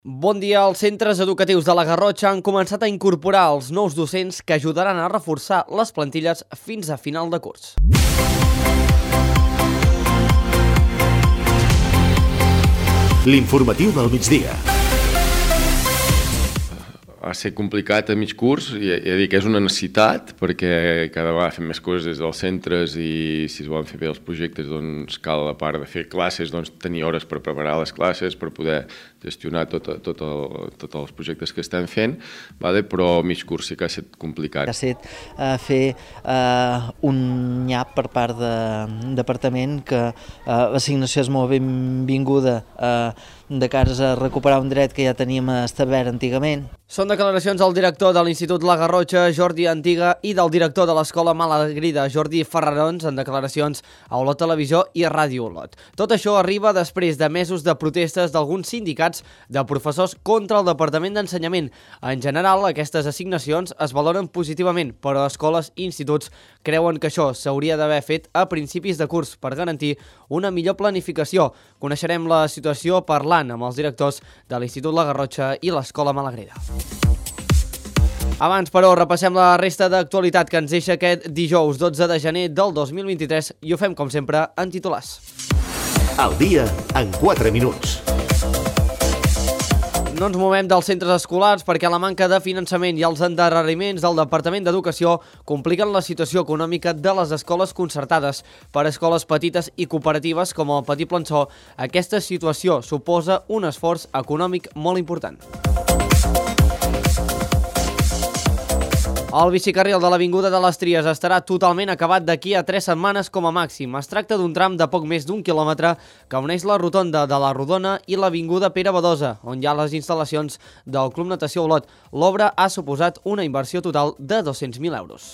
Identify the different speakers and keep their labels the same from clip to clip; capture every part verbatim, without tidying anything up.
Speaker 1: Bon dia. Els centres educatius de la Garrotxa han començat a incorporar els nous docents que ajudaran a reforçar les plantilles fins a final de curs.
Speaker 2: L'informatiu del migdia.
Speaker 3: Va ser complicat a mig curs, i he de dir que és una necessitat, perquè cada vegada fem més coses des dels centres i si es volen fer bé els projectes, doncs cal, a part de fer classes, doncs tenir hores per preparar les classes, per poder gestionar tot, tot el, tots els projectes que estem fent, vale? Però a mig curs sí que ha estat complicat.
Speaker 4: Ha estat uh, fer uh, un nyap per part del departament, que uh, l'assignació és molt benvinguda uh, de cares a recuperar un dret que ja teníem establert antigament.
Speaker 1: Són declaracions del director de l'Institut La Garrotxa, Jordi Antiga, i del director de l'Escola Malagrida, Jordi Ferrarons, en declaracions a Olot Televisió i Ràdio Olot. Tot això arriba després de mesos de protestes d'alguns sindicats de professors contra el Departament d'Ensenyament. En general, aquestes assignacions es valoren positivament, però escoles i instituts creuen que això s'hauria d'haver fet a principis de curs per garantir una millor planificació. Coneixerem la situació parlant amb els directors de l'Institut La Garrotxa i l'Escola Malagrida. Abans, però, repassem la resta d'actualitat que ens deixa aquest dijous dotze de gener del dos mil vint-i-tres i ho fem, com sempre, en titulars.
Speaker 2: Al dia, en quatre minuts.
Speaker 1: No ens movem dels centres escolars perquè la manca de finançament i els endarreriments del Departament d'Educació compliquen la situació econòmica de les escoles concertades. Per a escoles petites i cooperatives com el Petit Plançó, aquesta situació suposa un esforç econòmic molt important. El bicicarril de l'Avinguda de les Tries estarà totalment acabat d'aquí a tres setmanes com a màxim. Es tracta d'un tram de poc més d'un quilòmetre que uneix la rotonda de la Rodona i l'Avinguda Pere Badosa, on hi ha les instal·lacions del Club Natació Olot. L'obra ha suposat una inversió total de dos-cents mil euros.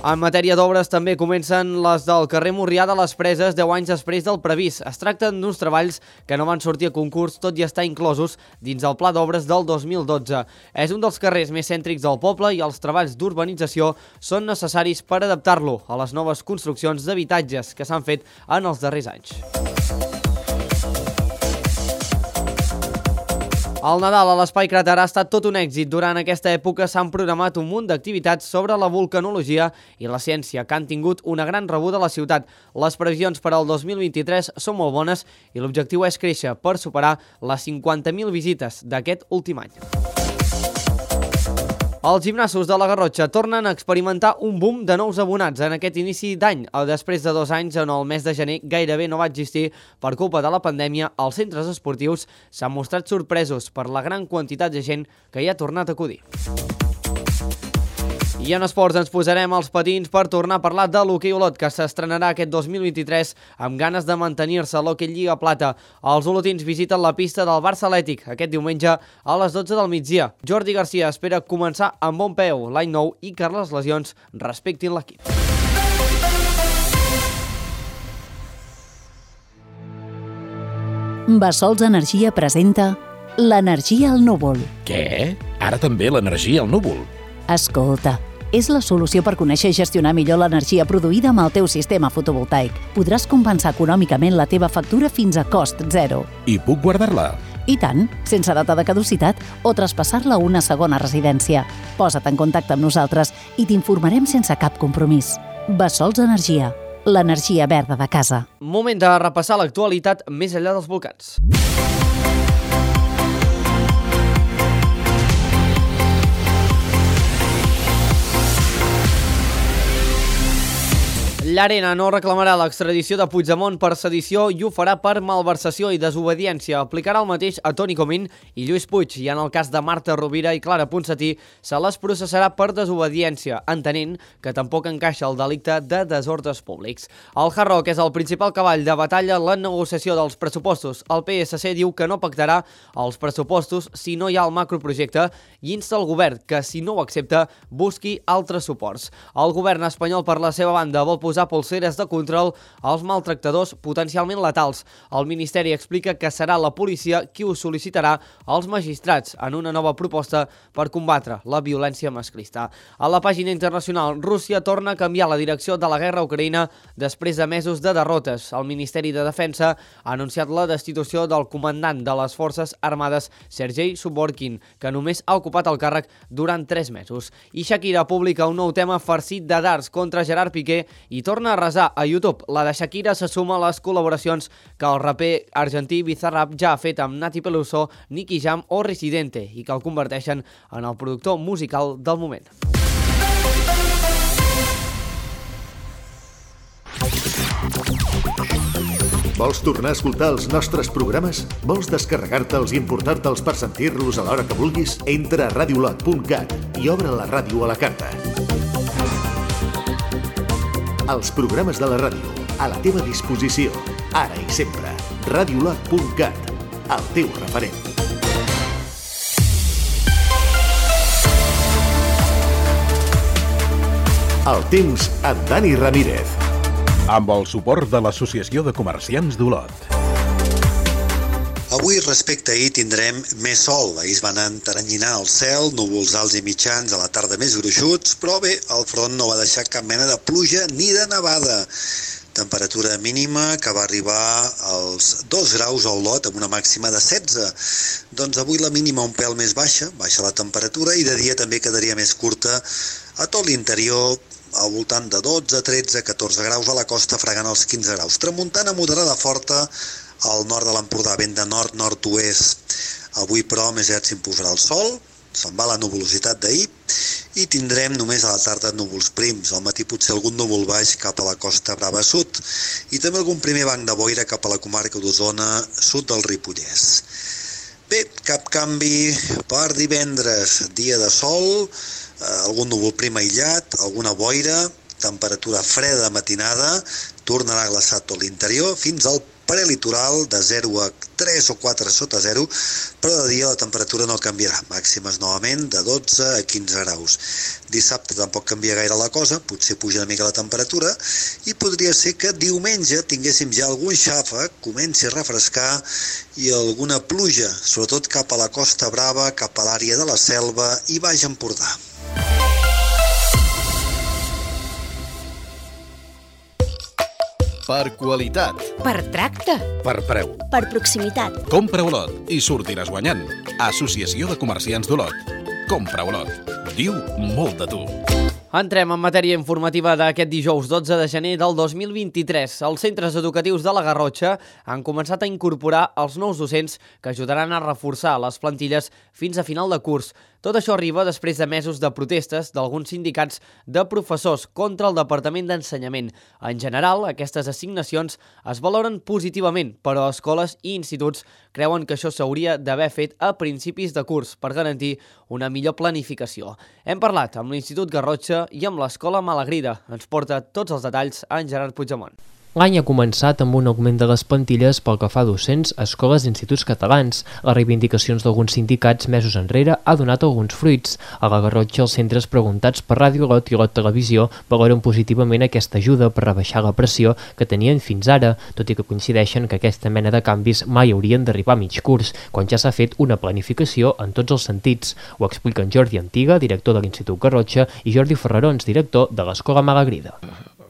Speaker 1: En matèria d'obres també comencen les del carrer Morrià de les Preses deu anys després del previst. Es tracten d'uns treballs que no van sortir a concurs, tot i estar inclosos dins el pla d'obres del dos mil dotze. És un dels carrers més cèntrics del poble i els treballs d'urbanització són necessaris per adaptar-lo a les noves construccions d'habitatges que s'han fet en els darrers anys. El Nadal a l'Espai Cràter ha estat tot un èxit. Durant aquesta època s'han programat un munt d'activitats sobre la vulcanologia i la ciència que han tingut una gran rebuda a la ciutat. Les previsions per al dos mil vint-i-tres són molt bones i l'objectiu és créixer per superar les cinquanta mil visites d'aquest últim any. Els gimnasos de la Garrotxa tornen a experimentar un boom de nous abonats en aquest inici d'any. Després de dos anys, en el mes de gener, gairebé no va existir per culpa de la pandèmia. Els centres esportius s'han mostrat sorpresos per la gran quantitat de gent que hi ha tornat a acudir. I en esports ens posarem als patins per tornar a parlar de l'hoquei Olot, que s'estrenarà aquest dos mil vint-i-tres amb ganes de mantenir-se a l'Hoquei Lliga Plata. Els olotins visiten la pista del Barça Atlètic aquest diumenge a les dotze del migdia. Jordi Garcia espera començar amb bon peu l'any nou i que les lesions respectin l'equip.
Speaker 5: Bassols Energia presenta l'energia al núvol.
Speaker 6: Què? Ara també l'energia al núvol?
Speaker 5: Escolta, és la solució per conèixer i gestionar millor l'energia produïda amb el teu sistema fotovoltaic. Podràs compensar econòmicament la teva factura fins a cost zero.
Speaker 6: I puc guardar-la?
Speaker 5: I tant, sense data de caducitat o traspassar-la a una segona residència. Posa't en contacte amb nosaltres i t'informarem sense cap compromís. Bassols Energia, l'energia verda de casa.
Speaker 1: Moment de repassar l'actualitat més enllà dels volcans. Llarena no reclamarà l'extradició de Puigdemont per sedició i ho farà per malversació i desobediència. Aplicarà el mateix a Toni Comín i Lluís Puig i en el cas de Marta Rovira i Clara Ponsatí se les processarà per desobediència, entenent que tampoc encaixa el delicte de desordres públics. El Hard Rock és el principal cavall de batalla en la negociació dels pressupostos. El P S C diu que no pactarà els pressupostos si no hi ha el macroprojecte i insta el govern que, si no ho accepta, busqui altres suports. El govern espanyol, per la seva banda, vol posar polseres de control als maltractadors potencialment letals. El Ministeri explica que serà la policia qui ho sol·licitarà als magistrats en una nova proposta per combatre la violència masclista. A la pàgina internacional, Rússia torna a canviar la direcció de la guerra a Ucraïna després de mesos de derrotes. El Ministeri de Defensa ha anunciat la destitució del comandant de les Forces Armades, Sergei Suvorkin, que només ha ocupat el càrrec durant tres mesos. I Shakira publica un nou tema farcit de dards contra Gerard Piqué i torna a resar a YouTube. La de Shakira se suma a les col·laboracions que el raper argentí Bizarrap ja ha fet amb Nati Peluso, Nicky Jam o Residente i que el converteixen en el productor musical del moment.
Speaker 2: Vols tornar a escoltar els nostres programes? Vols descarregar-te'ls i importar-te'ls per sentir-los a l'hora que vulguis? Entra a radiolot punt cat i obre la ràdio a la carta. Els programes de la ràdio, a la teva disposició, ara i sempre. radiolot punt cat, el teu referent. El temps amb Dani Ramírez.
Speaker 6: Amb el suport de l'Associació de Comerciants d'Olot.
Speaker 7: Avui, respecte a ahir, tindrem més sol. Ahir es van enteranyinar el cel, núvols alts i mitjans, a la tarda més gruixuts, però bé, el front no va deixar cap mena de pluja ni de nevada. Temperatura mínima que va arribar als dos graus a Olot amb una màxima de setze. Doncs avui la mínima un pèl més baixa, baixa la temperatura i de dia també quedaria més curta a tot l'interior, al voltant de dotze, tretze, catorze graus, a la costa fregant els quinze graus. Tramuntana moderada forta al nord de l'Empordà, vent de nord-nord-oest. Avui, però, més aviat s'imposarà el sol, se'n va la nuvolositat d'ahir i tindrem només a la tarda núvols prims. Al matí potser algun núvol baix cap a la Costa Brava sud i també algun primer banc de boira cap a la comarca d'Osona, sud del Ripollès. Bé, cap canvi per divendres, dia de sol, algun núvol prim aïllat, alguna boira, temperatura freda matinada, tornarà a glaçar tot l'interior fins al prelitoral de zero a tres o quatre sota zero, però de dia la temperatura no canviarà, màximes novament de dotze a quinze graus. Dissabte tampoc canvia gaire la cosa, potser puja una mica la temperatura i podria ser que diumenge tinguéssim ja algun xàfec, comenci a refrescar i alguna pluja, sobretot cap a la Costa Brava, cap a l'àrea de la Selva i Baix Empordà.
Speaker 8: Per qualitat.
Speaker 9: Per tracte.
Speaker 6: Per preu.
Speaker 9: Per proximitat.
Speaker 6: Compra Olot i sortiràs guanyant. Associació de Comerciants d'Olot. Compra Olot. Diu molt de tu.
Speaker 1: Entrem en matèria informativa d'aquest dijous dotze de gener del dos mil vint-i-tres. Els centres educatius de la Garrotxa han començat a incorporar els nous docents que ajudaran a reforçar les plantilles fins a final de curs. Tot això arriba després de mesos de protestes d'alguns sindicats de professors contra el Departament d'Ensenyament. En general, aquestes assignacions es valoren positivament, però escoles i instituts creuen que això s'hauria d'haver fet a principis de curs per garantir una millor planificació. Hem parlat amb l'Institut Garrotxa i amb l'Escola Malagrida. Ens porta tots els detalls en Gerard Puigdemont.
Speaker 10: L'any ha començat amb un augment de les plantilles pel que fa a docents a escoles i instituts catalans. Les reivindicacions d'alguns sindicats mesos enrere ha donat alguns fruits. A la Garrotxa, els centres preguntats per Ràdio Olot i Olot Televisió valoren positivament aquesta ajuda per rebaixar la pressió que tenien fins ara, tot i que coincideixen que aquesta mena de canvis mai haurien d'arribar a mig curs, quan ja s'ha fet una planificació en tots els sentits. Ho expliquen Jordi Antiga, director de l'Institut Garrotxa, i Jordi Ferrarons, director de l'Escola Malagrida.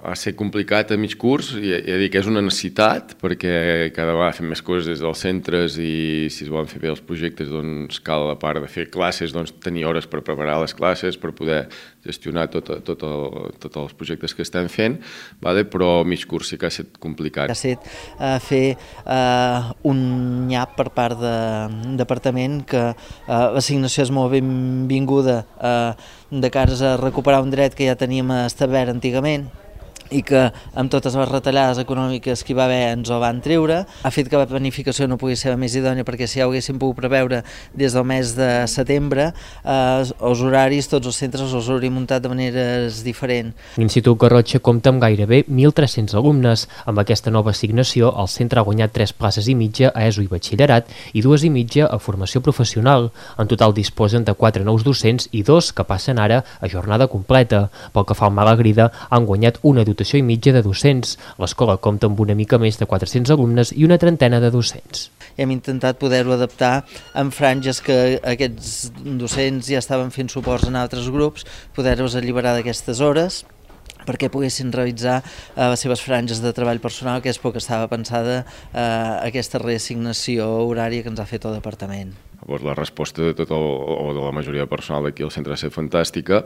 Speaker 3: Va ser complicat a mig curs i he de dir que és una necessitat perquè cada vegada fem més coses des dels centres i si es volen fer bé els projectes doncs cal, a part de fer classes, doncs tenir hores per preparar les classes, per poder gestionar tot, tot el, tots els projectes que estem fent, vale? Però a mig curs sí que ha estat complicat.
Speaker 4: Ha estat uh, fer uh, un nyap per part del departament que uh, l'assignació és molt benvinguda uh, de cares a recuperar un dret que ja teníem establert antigament i que amb totes les retallades econòmiques que hi va haver ens ho van treure. Ha fet que la planificació no pugui ser la més idònia perquè si ja ho haguéssim pogut preveure des del mes de setembre, eh, els horaris, tots els centres els hauríem muntat de maneres diferents.
Speaker 10: L'Institut Garrotxa compta amb gairebé mil tres-cents alumnes. Amb aquesta nova assignació, el centre ha guanyat tres places i mitja a ESO i batxillerat i dues i mitja a formació professional. En total disposen de quatre nous docents i dos que passen ara a jornada completa. Pel que fa al Malagrida, han guanyat una dotació dotació i mitja de docents. L'escola compta amb una mica més de quatre-cents alumnes i una trentena de docents.
Speaker 4: Hem intentat poder-ho adaptar en franges que aquests docents ja estaven fent suports en altres grups, poder-los alliberar d'aquestes hores perquè poguessin realitzar eh, les seves franges de treball personal, que és pel que estava pensada eh, aquesta reassignació horària que ens ha fet el departament.
Speaker 3: Llavors, la resposta de tot el, o de la majoria de personal d'aquí al centre ha estat fantàstica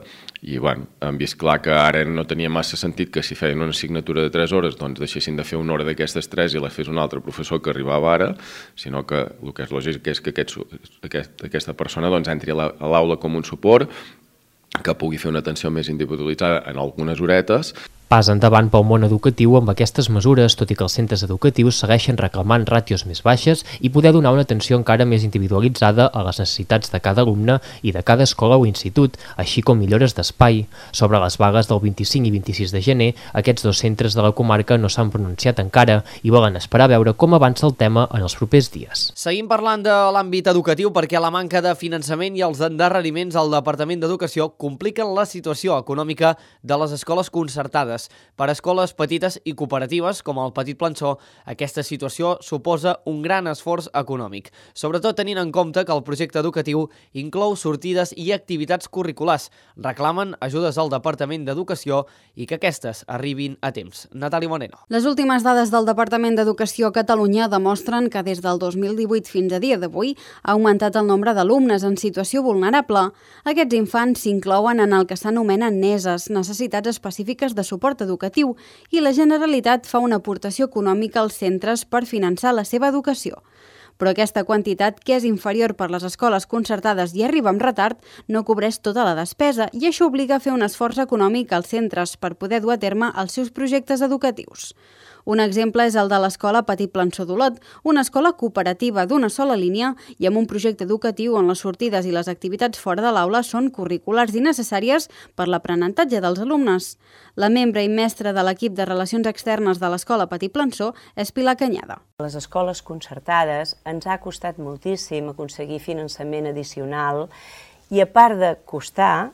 Speaker 3: i bueno, hem vist clar que ara no tenia massa sentit que si feien una assignatura de tres hores doncs deixessin de fer una hora d'aquestes tres i les fes un altre professor que arribava ara, sinó que el que és lògic és que aquest, aquest, aquesta persona doncs, entri a l'aula com un suport, que pugui fer una atenció més individualitzada en algunes horetes.
Speaker 10: Pas endavant pel món educatiu amb aquestes mesures, tot i que els centres educatius segueixen reclamant ràtios més baixes i poder donar una atenció encara més individualitzada a les necessitats de cada alumne i de cada escola o institut, així com millores d'espai. Sobre les vagues del vint-i-cinc i vint-i-sis de gener, aquests dos centres de la comarca no s'han pronunciat encara i volen esperar a veure com avança el tema en els propers dies.
Speaker 1: Seguim parlant de l'àmbit educatiu perquè la manca de finançament i els endarreriments al Departament d'Educació compliquen la situació econòmica de les escoles concertades. Per a escoles petites i cooperatives, com el Petit Plançó, aquesta situació suposa un gran esforç econòmic, sobretot tenint en compte que el projecte educatiu inclou sortides i activitats curriculars. Reclamen ajudes al Departament d'Educació i que aquestes arribin a temps. Natàlia Moreno.
Speaker 8: Les últimes dades del Departament d'Educació a Catalunya demostren que des del dos mil divuit fins a dia d'avui ha augmentat el nombre d'alumnes en situació vulnerable. Aquests infants s'inclouen en el que s'anomenen neses, necessitats específiques de suport educatiu, i la Generalitat fa una aportació econòmica als centres per finançar la seva educació. Però aquesta quantitat, que és inferior per les escoles concertades i arriba amb retard, no cobreix tota la despesa i això obliga a fer un esforç econòmic als centres per poder dur a terme els seus projectes educatius. Un exemple és el de l'escola Petit Plançó d'Olot, una escola cooperativa d'una sola línia i amb un projecte educatiu on les sortides i les activitats fora de l'aula són curriculars i necessàries per l'aprenentatge dels alumnes. La membre i mestra de l'equip de Relacions Externes de l'escola Petit Plançó és Pilar Canyada.
Speaker 11: A les escoles concertades ens ha costat moltíssim aconseguir finançament addicional i a part de costar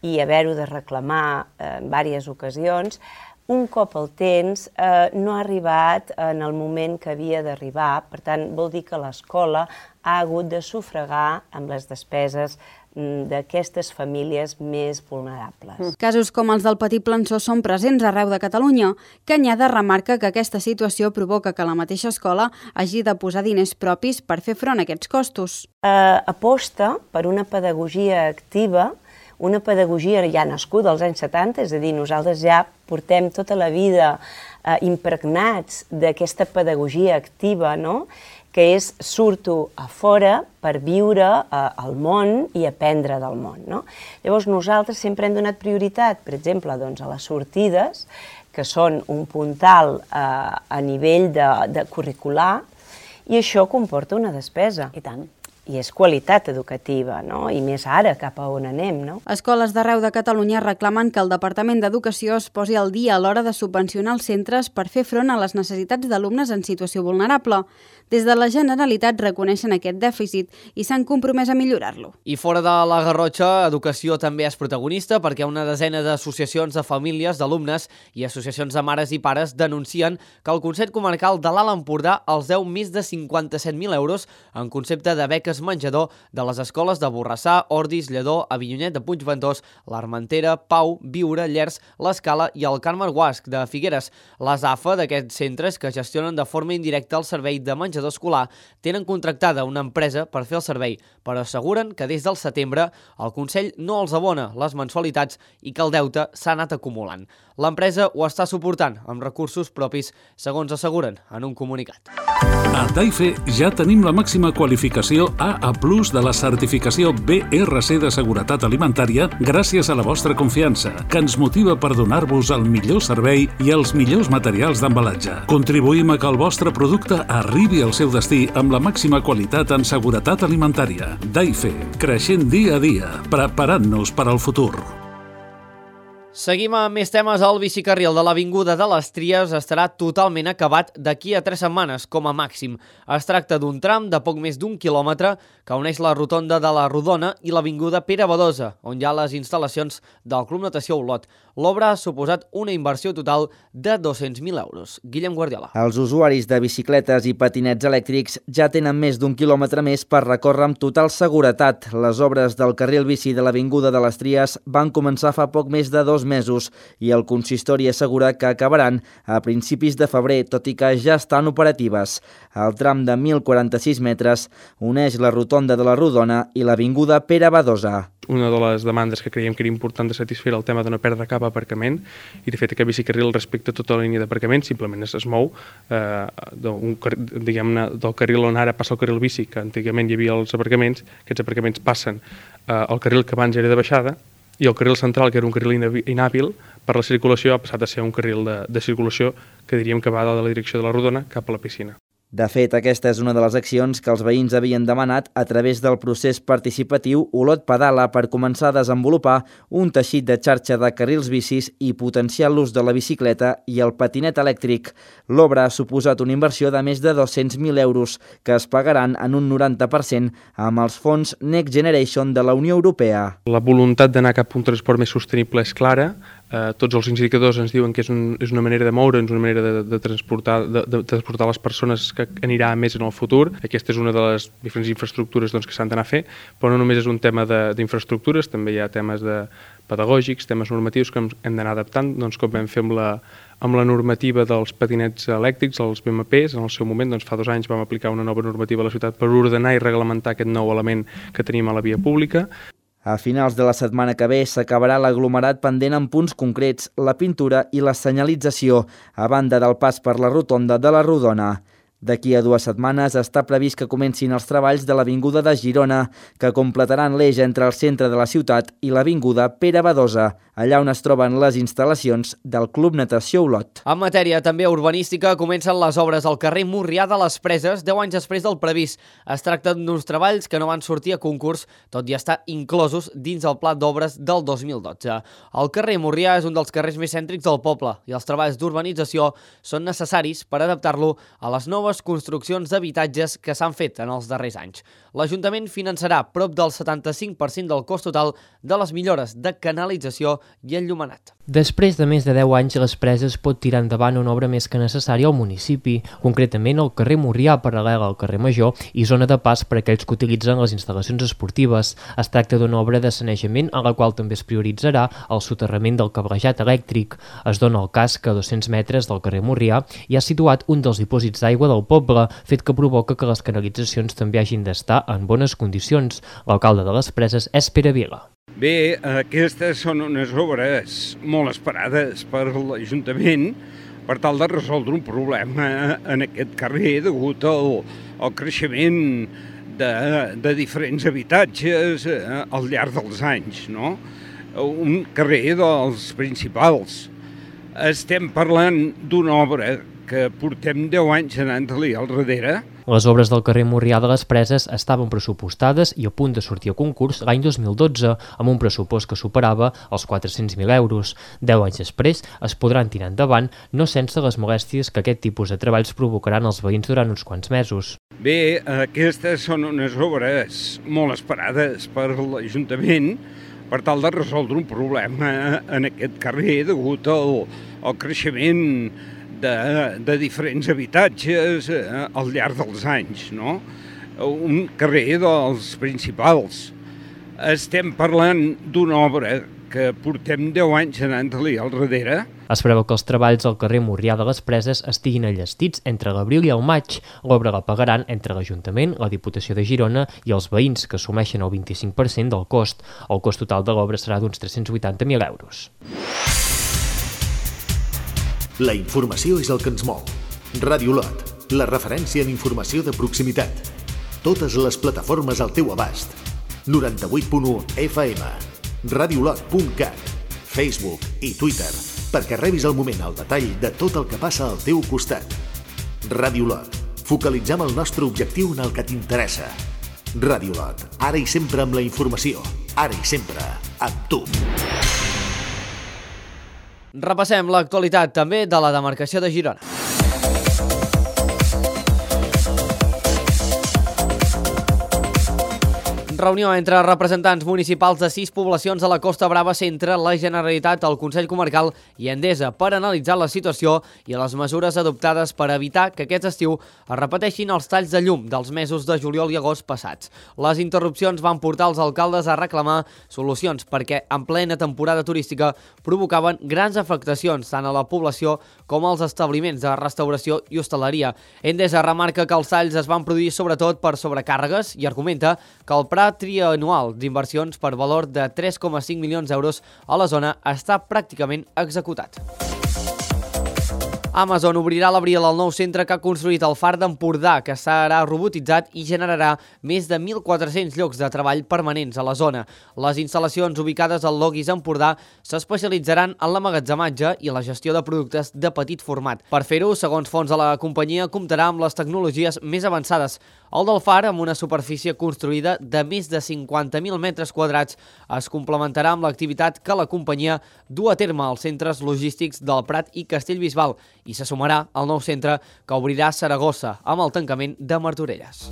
Speaker 11: i haver-ho de reclamar en diverses ocasions, un cop el tens eh, no ha arribat en el moment que havia d'arribar, per tant vol dir que l'escola ha hagut de sufragar amb les despeses d'aquestes famílies més vulnerables.
Speaker 8: Casos com els del Petit Plançó són presents arreu de Catalunya. Canyada remarca que aquesta situació provoca que la mateixa escola hagi de posar diners propis per fer front a aquests costos.
Speaker 11: Eh, aposta per una pedagogia activa, una pedagogia ja nascuda als anys setanta, és a dir, nosaltres ja portem tota la vida eh, impregnats d'aquesta pedagogia activa, no?, que és surto a fora per viure eh, al món i aprendre del món, no? Llavors nosaltres sempre hem donat prioritat, per exemple, doncs, a les sortides, que són un puntal eh, a nivell de, de curricular, i això comporta una despesa.
Speaker 9: I tant.
Speaker 11: I és qualitat educativa, no? I més ara, cap a on anem, no?
Speaker 8: Escoles d'arreu de Catalunya reclamen que el Departament d'Educació es posi al dia a l'hora de subvencionar els centres per fer front a les necessitats d'alumnes en situació vulnerable. Des de la Generalitat reconeixen aquest dèficit i s'han compromès a millorar-lo.
Speaker 1: I fora de la Garrotxa, Educació també és protagonista perquè una desena d'associacions de famílies, d'alumnes i associacions de mares i pares denuncien que el Consell Comarcal de l'Alt Empordà els deu més de cinquanta-set mil euros en concepte de beques menjador de les escoles de Borrassà, Ordis, Lledó, Avinyonet de Puigventós, l'Armentera, Pau, Biure, Llers, l'Escala i el Carme Guasc de Figueres. Les A F A d'aquests centres, que gestionen de forma indirecta el servei de menjador escolar, tenen contractada una empresa per fer el servei, però asseguren que des del setembre el Consell no els abona les mensualitats i que el deute s'ha anat acumulant. L'empresa ho està suportant amb recursos propis, segons asseguren en un comunicat.
Speaker 12: A Daife ja tenim la màxima qualificació A A plus de la certificació B R C de Seguretat Alimentària gràcies a la vostra confiança, que ens motiva per donar-vos el millor servei i els millors materials d'embalatge. Contribuïm a que el vostre producte arribi al seu destí amb la màxima qualitat en seguretat alimentària. Daife, creixent dia a dia, preparant-nos per al futur.
Speaker 1: Seguim amb més temes. El bicicarril de l'Avinguda de les Tries estarà totalment acabat d'aquí a tres setmanes, com a màxim. Es tracta d'un tram de poc més d'un quilòmetre que uneix la rotonda de la Rodona i l'Avinguda Pere Badosa, on hi ha les instal·lacions del Club Natació Olot. L'obra ha suposat una inversió total de dos-cents mil euros. Guillem Guardiola.
Speaker 13: Els usuaris de bicicletes i patinets elèctrics ja tenen més d'un quilòmetre més per recórrer amb total seguretat. Les obres del carril bici de l'Avinguda de les Tries van començar fa poc més de dos mesos i el consistori assegura que acabaran a principis de febrer, tot i que ja estan operatives. El tram de mil quaranta-sis metres uneix la rotonda de la Rodona i l'Avinguda Pere Badosa.
Speaker 14: Una de les demandes que creiem que era important de satisfer el tema de no perdre cap aparcament, i de fet aquest bicicarril respecte a tota la línia d'aparcament simplement es, es mou eh, d'un, diguem-ne, del carril on ara passa el carril bici, que antigament hi havia els aparcaments. Aquests aparcaments passen eh, al carril que abans era de baixada, i el carril central, que era un carril inhàbil per la circulació, ha passat a ser un carril de, de circulació que diríem que va de la direcció de la Rodona cap a la piscina.
Speaker 13: De fet, aquesta és una de les accions que els veïns havien demanat a través del procés participatiu Olot Pedala per començar a desenvolupar un teixit de xarxa de carrils bicis i potenciar l'ús de la bicicleta i el patinet elèctric. L'obra ha suposat una inversió de més de dos-cents mil euros que es pagaran en un noranta per cent amb els fons Next Generation de la Unió Europea.
Speaker 14: La voluntat d'anar cap a un transport més sostenible és clara. Uh, tots els indicadors ens diuen que és, un, és una manera de moure'ns, una manera de, de, transportar, de, de transportar les persones que anirà més en el futur. Aquesta és una de les diferents infraestructures doncs, que s'han d'anar a fer, però no només és un tema d'infraestructures, també hi ha temes de pedagògics, temes normatius que hem d'anar adaptant, doncs, com vam fer amb la, amb la normativa dels patinets elèctrics, els B M Ps. En el seu moment, doncs, fa dos anys, vam aplicar una nova normativa a la ciutat per ordenar i reglamentar aquest nou element que tenim a la via pública.
Speaker 13: A finals de la setmana que ve s'acabarà l'aglomerat pendent en punts concrets, la pintura i la senyalització, a banda del pas per la rotonda de la Rodona. D'aquí a dues setmanes està previst que comencin els treballs de l'Avinguda de Girona, que completaran l'eix entre el centre de la ciutat i l'Avinguda Pere Badosa, allà on es troben les instal·lacions del Club Natació Olot.
Speaker 1: En matèria també urbanística, comencen les obres al carrer Murrià de les Preses deu anys després del previst. Es tracta d'uns treballs que no van sortir a concurs, tot i estar inclosos dins el pla d'obres del dos mil dotze. El carrer Murrià és un dels carrers més cèntrics del poble i els treballs d'urbanització són necessaris per adaptar-lo a les noves construccions d'habitatges que s'han fet en els darrers anys. L'Ajuntament finançarà prop del setanta-cinc per cent del cost total de les millores de canalització i enllumenat.
Speaker 10: Després de més de deu anys, les Preses pot tirar endavant una obra més que necessària al municipi, concretament al carrer Murrià, paral·lel al carrer Major i zona de pas per a aquells que utilitzen les instal·lacions esportives. Es tracta d'una obra de sanejament en la qual també es prioritzarà el soterrament del cablejat elèctric. Es dona el cas que a dos-cents metres del carrer Murrià hi ha situat un dels dipòsits d'aigua del poble, fet que provoca que les canalitzacions també hagin d'estar en bones condicions. L'alcalde de les Preses és Pere Vila.
Speaker 15: Bé, aquestes són unes obres molt esperades per l'Ajuntament per tal de resoldre un problema en aquest carrer degut al, al creixement de, de diferents habitatges al llarg dels anys, no? Un carrer dels principals. Estem parlant d'una obra que portem deu anys anant-li al darrere.
Speaker 10: Les obres del carrer Murrià de les Preses estaven pressupostades i a punt de sortir a concurs l'any dos mil dotze, amb un pressupost que superava els quatre-cents mil euros. Deu anys després es podran tirar endavant, no sense les molèsties que aquest tipus de treballs provocaran als veïns durant uns quants mesos.
Speaker 15: Bé, aquestes són unes obres molt esperades per l'Ajuntament per tal de resoldre un problema en aquest carrer degut al, al creixement De, de diferents habitatges al llarg dels anys, no? Un carrer dels principals. Estem parlant d'una obra que portem deu anys anant-li al darrere.
Speaker 10: Es preveu que els treballs al carrer Murrià de les Preses estiguin enllestits entre l'abril i el maig. L'obra la pagaran entre l'Ajuntament, la Diputació de Girona i els veïns, que assumeixen el vint-i-cinc per cent del cost. El cost total de l'obra serà d'uns tres-cents vuitanta mil euros.
Speaker 2: La informació és el que ens mou. Ràdio Olot, la referència en informació de proximitat. Totes les plataformes al teu abast. noranta-vuit punt u F M, radiolot punt cat, Facebook i Twitter, perquè rebis al moment el detall de tot el que passa al teu costat. Ràdio Olot, focalitzem el nostre objectiu en el que t'interessa. Ràdio Olot, ara i sempre amb la informació, ara i sempre amb tu.
Speaker 1: Repassem l'actualitat també de la demarcació de Girona. Reunió entre representants municipals de sis poblacions a la Costa Brava Centre, la Generalitat, el Consell Comarcal i Endesa per analitzar la situació i les mesures adoptades per evitar que aquest estiu es repeteixin els talls de llum dels mesos de juliol i agost passats. Les interrupcions van portar els alcaldes a reclamar solucions perquè en plena temporada turística provocaven grans afectacions tant a la població com als establiments de restauració i hostaleria. Endesa remarca que els talls es van produir sobretot per sobrecàrregues i argumenta que el pla trianual d'inversions per valor de tres coma cinc milions d'euros a la zona està pràcticament executat. Amazon obrirà a l'abril el nou centre que ha construït el Far d'Empordà, que serà robotitzat i generarà més de mil quatre-cents llocs de treball permanents a la zona. Les instal·lacions ubicades al Logis Empordà s'especialitzaran en l'emmagatzematge i la gestió de productes de petit format. Per fer-ho, segons fons de la companyia, comptarà amb les tecnologies més avançades. El del Far, amb una superfície construïda de més de cinquanta mil metres quadrats, es complementarà amb l'activitat que la companyia du a terme als centres logístics del Prat i Castellbisbal i se sumarà al nou centre que obrirà a Saragossa amb el tancament de Martorelles.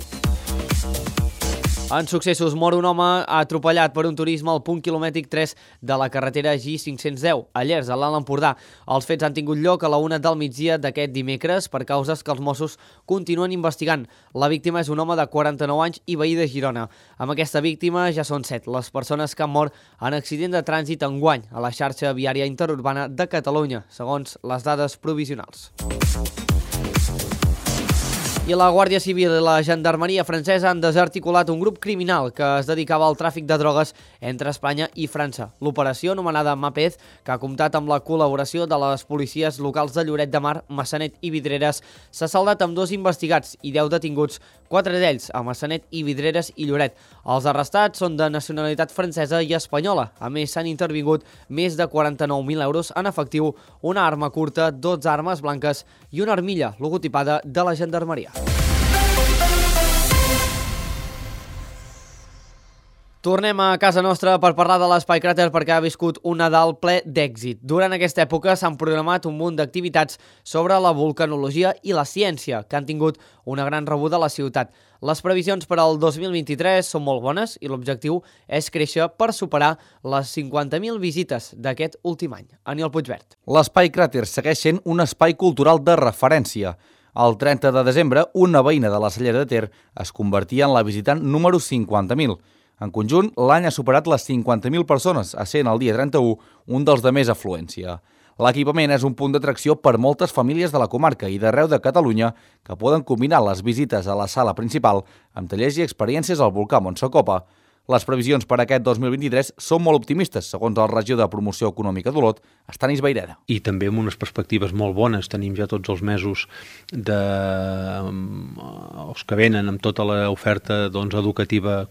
Speaker 1: En successos, mor un home atropellat per un turisme al punt quilomètric tres de la carretera G cinc-cents deu, a Llers, a l'Alt Empordà. Els fets han tingut lloc a la una del migdia d'aquest dimecres per causes que els Mossos continuen investigant. La víctima és un home de quaranta-nou anys i veí de Girona. Amb aquesta víctima ja són set les persones que han mort en accident de trànsit enguany a la xarxa viària interurbana de Catalunya, segons les dades provisionals. I la Guàrdia Civil i la Gendarmeria francesa han desarticulat un grup criminal que es dedicava al tràfic de drogues entre Espanya i França. L'operació, anomenada Mapez, que ha comptat amb la col·laboració de les policies locals de Lloret de Mar, Massanet i Vidreres, s'ha saldat amb dos investigats i deu detinguts, quatre d'ells a Massanet i Vidreres i Lloret. Els arrestats són de nacionalitat francesa i espanyola. A més, s'han intervingut més de quaranta-nou mil euros en efectiu, una arma curta, dotze armes blanques i una armilla logotipada de la Gendarmeria. Tornem a casa nostra per parlar de l'Espai Cràter perquè ha viscut un Nadal ple d'èxit. Durant aquesta època s'han programat un munt d'activitats sobre la vulcanologia i la ciència, que han tingut una gran rebuda a la ciutat. Les previsions per al dos mil vint-i-tres són molt bones i l'objectiu és créixer per superar les cinquanta mil visites d'aquest últim any. Aniol Puigvert.
Speaker 16: L'Espai Cràter segueix sent un espai cultural de referència. El trenta de desembre, una veïna de la Cellera de Ter es convertia en la visitant número cinquanta mil. En conjunt, l'any ha superat les cinquanta mil persones, essent el dia trenta-u un dels de més afluència. L'equipament és un punt d'atracció per moltes famílies de la comarca i d'arreu de Catalunya que poden combinar les visites a la sala principal amb tallers i experiències al volcà Montsecopa. Les previsions per aquest dos mil vint-i-tres són molt optimistes, segons el regidor de Promoció Econòmica d'Olot, Estanis Vayreda.
Speaker 17: I també amb unes perspectives molt bones. Tenim ja tots els mesos de... els que venen amb tota l'oferta doncs, educativa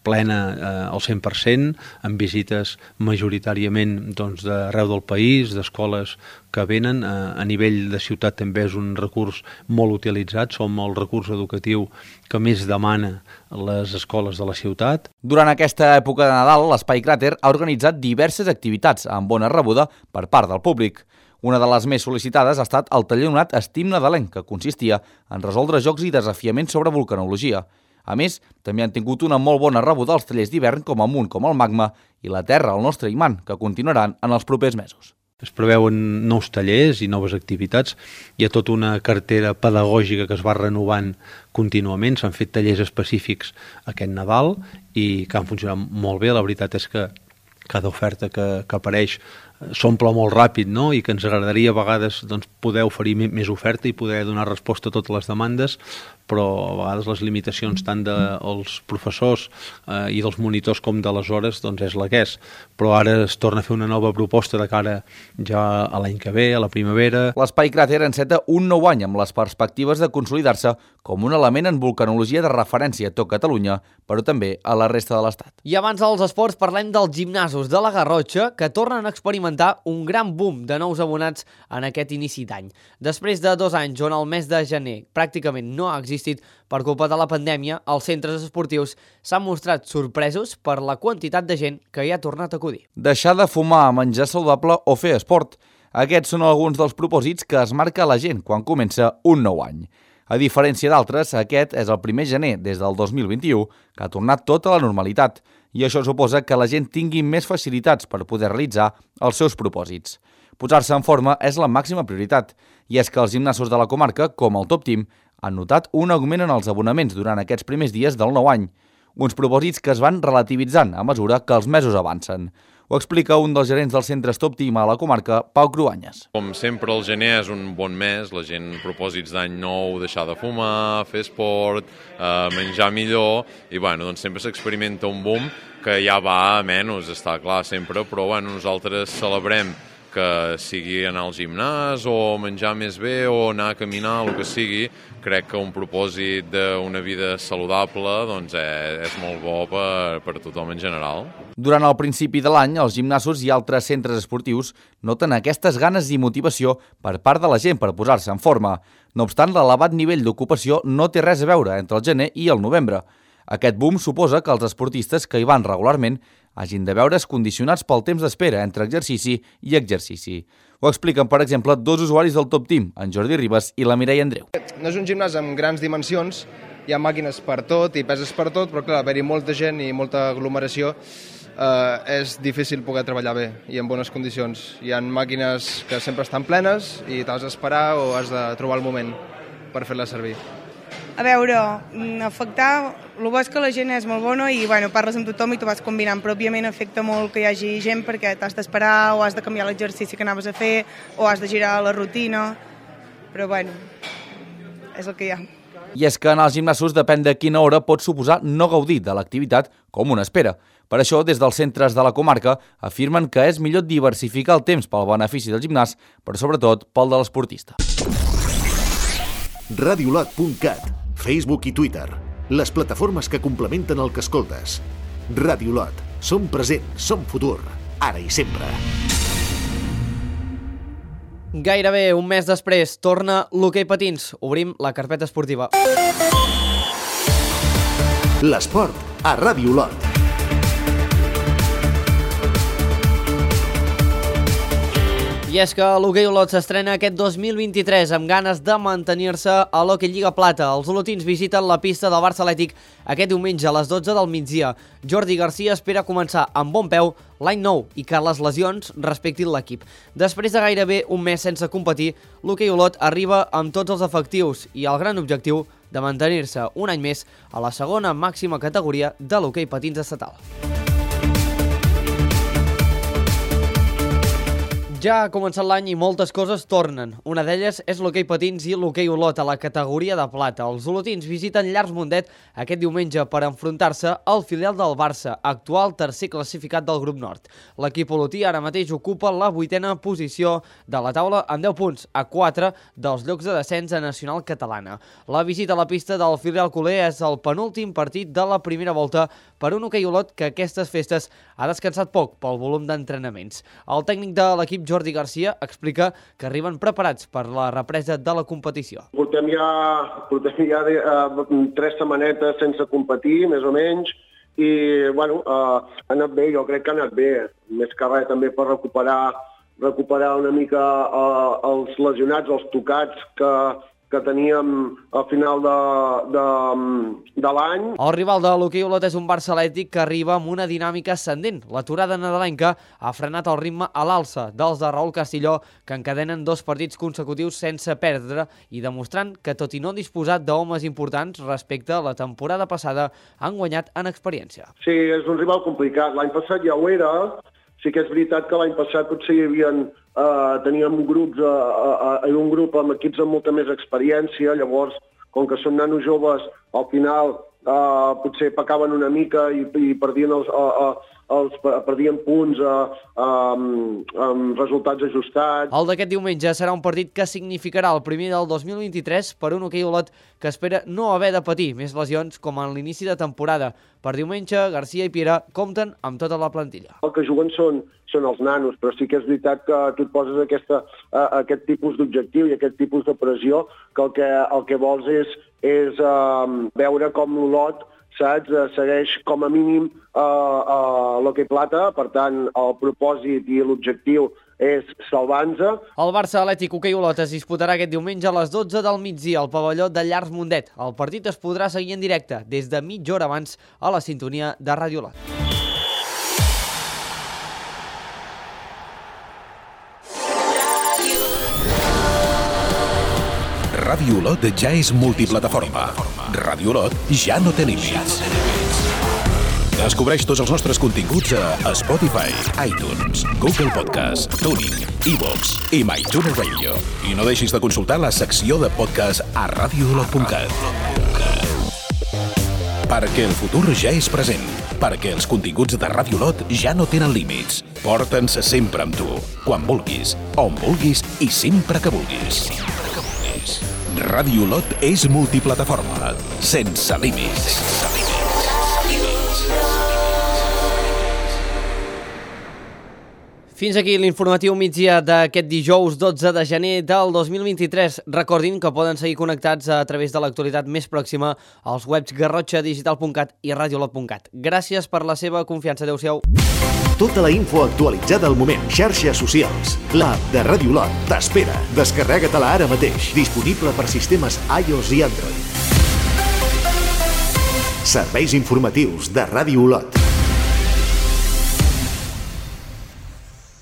Speaker 17: plena eh, al cent per cent, amb visites majoritàriament doncs, d'arreu del país, d'escoles que venen. Eh, a nivell de ciutat també és un recurs molt utilitzat, som el recurs educatiu que més demana les escoles de la ciutat.
Speaker 16: Durant aquesta època de Nadal, l'Espai Cràter ha organitzat diverses activitats amb bona rebuda per part del públic. Una de les més sol·licitades ha estat el taller anomenat Estim Nadalenc, que consistia en resoldre jocs i desafiaments sobre vulcanologia. A més, també han tingut una molt bona rebuda als tallers d'hivern com Amunt com el Magma i La Terra, el nostre imant, que continuaran en els propers mesos.
Speaker 17: Es preveuen nous tallers i noves activitats. Hi ha tota una cartera pedagògica que es va renovant contínuament. S'han fet tallers específics aquest Nadal i que han funcionat molt bé. La veritat és que cada oferta que, que apareix s'omple molt ràpid, no? I que ens agradaria a vegades doncs, poder oferir més oferta i poder donar resposta a totes les demandes, però a vegades les limitacions tant dels professors eh, i dels monitors com de les hores doncs és la que és. Però ara es torna a fer una nova proposta de cara ja a l'any que ve, a la primavera.
Speaker 16: L'Espai Cràter enceta un nou any amb les perspectives de consolidar-se com un element en vulcanologia de referència a tot Catalunya, però també a la resta de l'Estat.
Speaker 1: I abans dels esports parlem dels gimnasos de la Garrotxa, que tornen a experimentar experimentar un gran boom de nous abonats en aquest inici d'any. Després de dos anys on el mes de gener pràcticament no ha existit per culpa de la pandèmia, els centres esportius s'han mostrat sorpresos per la quantitat de gent que hi ha tornat a acudir.
Speaker 16: Deixar de fumar, menjar saludable o fer esport. Aquests són alguns dels propòsits que es marca la gent quan comença un nou any. A diferència d'altres, aquest és el primer gener des del dos mil vint-i-u que ha tornat tota la normalitat i això suposa que la gent tingui més facilitats per poder realitzar els seus propòsits. Posar-se en forma és la màxima prioritat i és que els gimnasos de la comarca, com el Top Team, han notat un augment en els abonaments durant aquests primers dies del nou any, uns propòsits que es van relativitzant a mesura que els mesos avancen. Ho explica un dels gerents dels centres Top Team a la comarca, Pau Cruanyes.
Speaker 18: Com sempre, el gener és un bon mes, la gent propòsits d'any nou, deixar de fumar, fer esport, eh, menjar millor, i bueno, doncs sempre s'experimenta un boom que ja va a menys, està clar sempre, però bueno, nosaltres celebrem que sigui anar al gimnàs o menjar més bé o anar a caminar, el que sigui. Crec que un propòsit d'una vida saludable doncs, és, és molt bo per, per tothom en general.
Speaker 16: Durant el principi de l'any, els gimnasos i altres centres esportius noten aquestes ganes i motivació per part de la gent per posar-se en forma. No obstant, l'elevat nivell d'ocupació no té res a veure entre el gener i el novembre. Aquest boom suposa que els esportistes que hi van regularment hagin de veure's condicionats pel temps d'espera entre exercici i exercici. Ho expliquen, per exemple, dos usuaris del Top Team, en Jordi Ribas i la Mireia Andreu.
Speaker 19: No és un gimnàs amb grans dimensions, hi ha màquines per tot i peses per tot, però clar, haver-hi molta gent i molta aglomeració eh, és difícil poder treballar bé i en bones condicions. Hi ha màquines que sempre estan plenes i t'has d'esperar o has de trobar el moment per fer-les servir.
Speaker 20: A veure, afectar, el bo és que la gent és molt bona i bueno, parles amb tothom i t'ho vas combinant, però òbviament afecta molt que hi hagi gent perquè t'has d'esperar o has de canviar l'exercici que anaves a fer o has de girar la rutina, però bueno, és el que hi ha.
Speaker 16: I és que en els gimnasos depèn de quina hora pot suposar no gaudir de l'activitat com una espera. Per això, des dels centres de la comarca, afirmen que és millor diversificar el temps pel benefici del gimnàs, però sobretot pel de l'esportista.
Speaker 2: radiolot punt cat, Facebook i Twitter, les plataformes que complementen el que escoltes. Radiolot, som present, som futur, ara i sempre.
Speaker 1: Gairebé un mes després torna l'hoquei patins. Obrim la carpeta esportiva.
Speaker 2: L'esport a Radiolot.
Speaker 1: I és que l'hoquei Olot s'estrena aquest dos mil vint-i-tres amb ganes de mantenir-se a l'Hockey Lliga Plata. Els olotins visiten la pista del Barça Atlètic aquest diumenge a les dotze del migdia. Jordi Garcia espera començar amb bon peu l'any nou i que les lesions respectin l'equip. Després de gairebé un mes sense competir, l'hoquei Olot arriba amb tots els efectius i el gran objectiu de mantenir-se un any més a la segona màxima categoria de l'hoquei patins estatal. Ja ha començat l'any i moltes coses tornen. Una d'elles és l'hoquei patins i l'hoquei Olot a la categoria de plata. Els olotins visiten Llars Mundet aquest diumenge per enfrontar-se al filial del Barça, actual tercer classificat del grup nord. L'equip olotí ara mateix ocupa la vuitena posició de la taula amb deu punts, a quatre dels llocs de descens a Nacional Catalana. La visita a la pista del filial culer és el penúltim partit de la primera volta per un hoquei Olot que aquestes festes ha descansat poc pel volum d'entrenaments. El tècnic de l'equip Jordi Garcia explica que arriben preparats per la represa de la competició.
Speaker 21: Portem ja, portem ja de, uh, tres setmanetes sense competir, més o menys, i bueno, uh, ha anat bé, jo crec que ha anat bé. Més que res també per recuperar, recuperar una mica uh, els lesionats, els tocats que, que teníem al final de, de, de l'any.
Speaker 1: El rival de l'hoquei Olot és un Barça Atlètic que arriba amb una dinàmica ascendent. L'aturada nadalenca ha frenat el ritme a l'alça dels de Raül Castilló, que encadenen dos partits consecutius sense perdre i demostrant que, tot i no disposar d'homes importants respecte a la temporada passada, han guanyat en experiència.
Speaker 21: Sí, és un rival complicat. L'any passat ja ho era. Sí que és veritat que l'any passat potser hi havia, eh, teníem grups, eh, eh, un grup amb equips amb molta més experiència, llavors, com que són nanos joves, al final uh, potser pecaven una mica i, i perdien els... Uh, uh, els perdien punts uh, um, amb resultats ajustats.
Speaker 1: El d'aquest diumenge serà un partit que significarà el primer del dos mil vint-i-tres per un hoquei Olot que espera no haver de patir més lesions com en l'inici de temporada. Per diumenge, Garcia i Piera compten amb tota la plantilla.
Speaker 21: El que juguen són, són els nanos, però sí que és veritat que tu et poses aquesta, uh, aquest tipus d'objectiu i aquest tipus de pressió que el que, el que vols és, és uh, veure com l'Olot saps? Segueix com a mínim uh, uh, l'hoquei plata, per tant el propòsit i l'objectiu és salvar-nos.
Speaker 1: El Barça Atlètic Hoquei Olot es disputarà aquest diumenge a les dotze del migdia al pavelló de Llars Mundet. El partit es podrà seguir en directe des de mitja hora abans a la sintonia de Ràdio Olot.
Speaker 6: Ràdio Olot ja és multiplataforma. Ràdio Olot ja no té límits. Descobreix tots els nostres continguts a Spotify, iTunes, Google Podcast, TuneIn, iVoox i MyTuner Radio. I no deixis de consultar la secció de podcast a ràdio olot punt cat. Perquè el futur ja és present. Perquè els continguts de Ràdio Olot ja no tenen límits. Porta'ns sempre amb tu, quan vulguis, on vulguis i sempre que vulguis. Ràdio Olot és multiplataforma, sense límits.
Speaker 1: Fins aquí l'informatiu migdia d'aquest dijous dotze de gener del dos mil vint-i-tres. Recordin que poden seguir connectats a través de l'actualitat més pròxima als webs garrotxa digital punt cat i radiolot punt cat. Gràcies per la seva confiança. Adéu-siau.
Speaker 2: Tota la info actualitzada al moment. Xarxes socials. L'app de Ràdio Olot t'espera. Descarrega-te-la ara mateix. Disponible per sistemes iOS i Android. Serveis informatius de Ràdio Olot.